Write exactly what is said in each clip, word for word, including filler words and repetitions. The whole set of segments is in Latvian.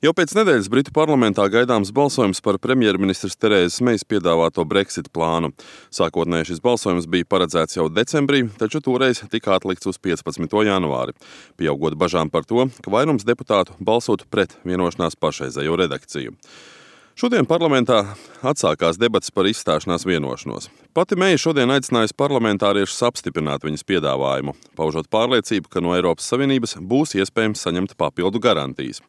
Jau pēc nedēļas Britu parlamentā gaidāms balsojums par premjerministres Terēzes Mejas piedāvāto Brexit plānu. Sākotnēji šis balsojums bija paredzēts jau decembrī, taču toreiz tika atlikts uz piecpadsmito janvāri, pieaugot bažām par to, ka vairums deputātu balsotu pret vienošanās pašreizējo redakciju. Šodien parlamentā atsākās debats par izstāšanās vienošanos. Pati Meja šodien aicinājusi parlamentāriešus apstiprināt viņas piedāvājumu, paužot pārliecību, ka no Eiropas Savienības būs iespējams saņemt papildu garantijas,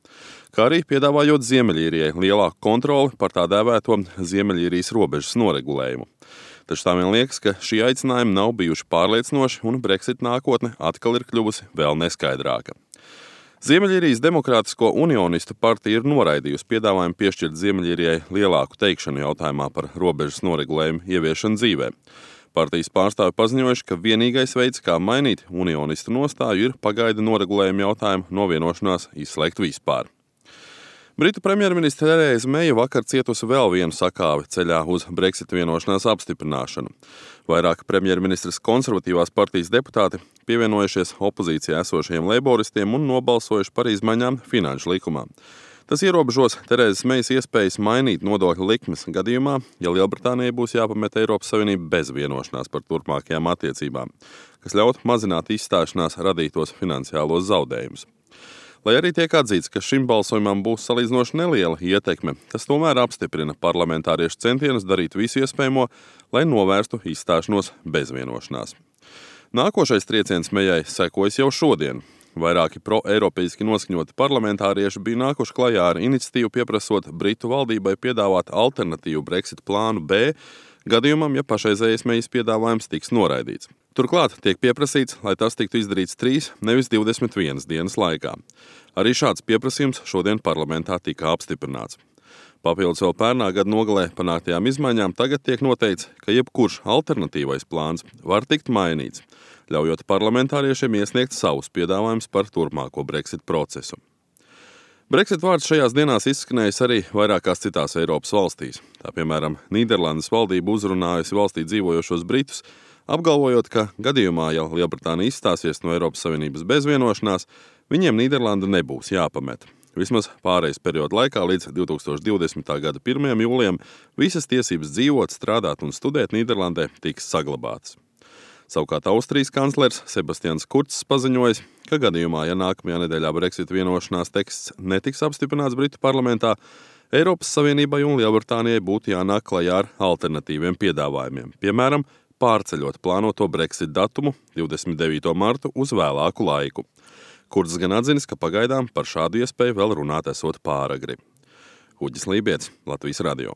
kā arī piedāvājot Ziemeļīrijai lielāku kontroli par tā dēvēto Ziemeļīrijas robežas noregulējumu. Taču tā vien liekas, ka šī aicinājuma nav bijuši pārliecinoši un Brexit nākotne atkal ir kļuvusi vēl neskaidrāka. Ziemeļīrijas Demokrātisko unionistu partija ir noraidījusi piedāvājumu piešķirt Ziemeļīrijai lielāku teikšanu jautājumā par robežas noregulējumu ieviešanu dzīvē. Partijas pārstāvi paziņojuši, ka vienīgais veids, kā mainīt unionistu nostāju, ir pagaida noregulējumu jautājumu no vienošanās izslēgt vispār. Britu premjerministre Terēze Meja vakar cietusi vēl vienu sakāvi ceļā uz Brexit vienošanās apstiprināšanu. Vairāk premjerministres konservatīvās partijas deputāti pievienojušies opozīcijā esošajiem leiboristiem un nobalsojuši par izmaiņām finanšu likumā. Tas ierobežos Terēzes Mejas iespējas mainīt nodokļu likmes gadījumā, ja Lielbritānijai būs jāpamet Eiropas Savienība bez vienošanās par turpmākajām attiecībām, kas ļaut mazināt izstāšanās radītos finansiālos zaudējumus. Lai arī tiek atzīts, ka šim balsojumam būs salīdzinoši neliela ietekme, tas tomēr apstiprina parlamentāriešu centienus darīt visu iespējamo, lai novērstu izstāšanos bez vienošanās. Nākošais trieciens Mejai sekojas jau šodien. Vairāki pro-eiropeiski noskaņoti parlamentārieši bija nākuši klajā ar iniciatīvu pieprasot Britu valdībai piedāvāt alternatīvu Brexit plānu B, gadījumam, ja pašreizējais Mejas piedāvājums tiks noraidīts. Turklāt tiek pieprasīts, lai tas tiktu izdarīts trīs, nevis divdesmit vienas dienas laikā. Arī šāds pieprasījums šodien parlamentā tika apstiprināts. Papildus vēl pērnā gada nogalē panāktajām izmaiņām tagad tiek noteikts, ka jebkurš alternatīvais plāns var tikt mainīts, ļaujot parlamentāriešiem iesniegt savus piedāvājumus par turpmāko Brexit procesu. Brexit vārds šajās dienās izskanējis arī vairākās citās Eiropas valstīs. Tā piemēram, Nīderlandes valdība uzrunājusi valstī dzīvojošos britus, apgalvojot, ka gadījumā, ja Lielbritānija izstāsies no Eiropas Savienības bez vienošanās, viņiem Nīderlanda nebūs jāpamet. Vismaz pārejas perioda laikā līdz divtūkstoš divdesmitā gada pirmajam jūlijam visas tiesības dzīvot, strādāt un studēt Nīderlandē tiks saglabātas. Savukārt Austrijas kanclers Sebastians Kurcs paziņojis, ka gadījumā, ja nākamajā nedēļā Brexit vienošanās teksts netiks apstiprināts Britu parlamentā, Eiropas Savienībai un Lielbritānijai būtu jānāk klajā ar alternatīviem piedāvājumiem, piemēram, pārceļot plānoto Brexit datumu divdesmit devīto martu uz vēlāku laiku. Kurds gan atzinis, ka pagaidām par šādu iespēju vēl runāt esot pāragri. Uģis Lībietis, Latvijas radio.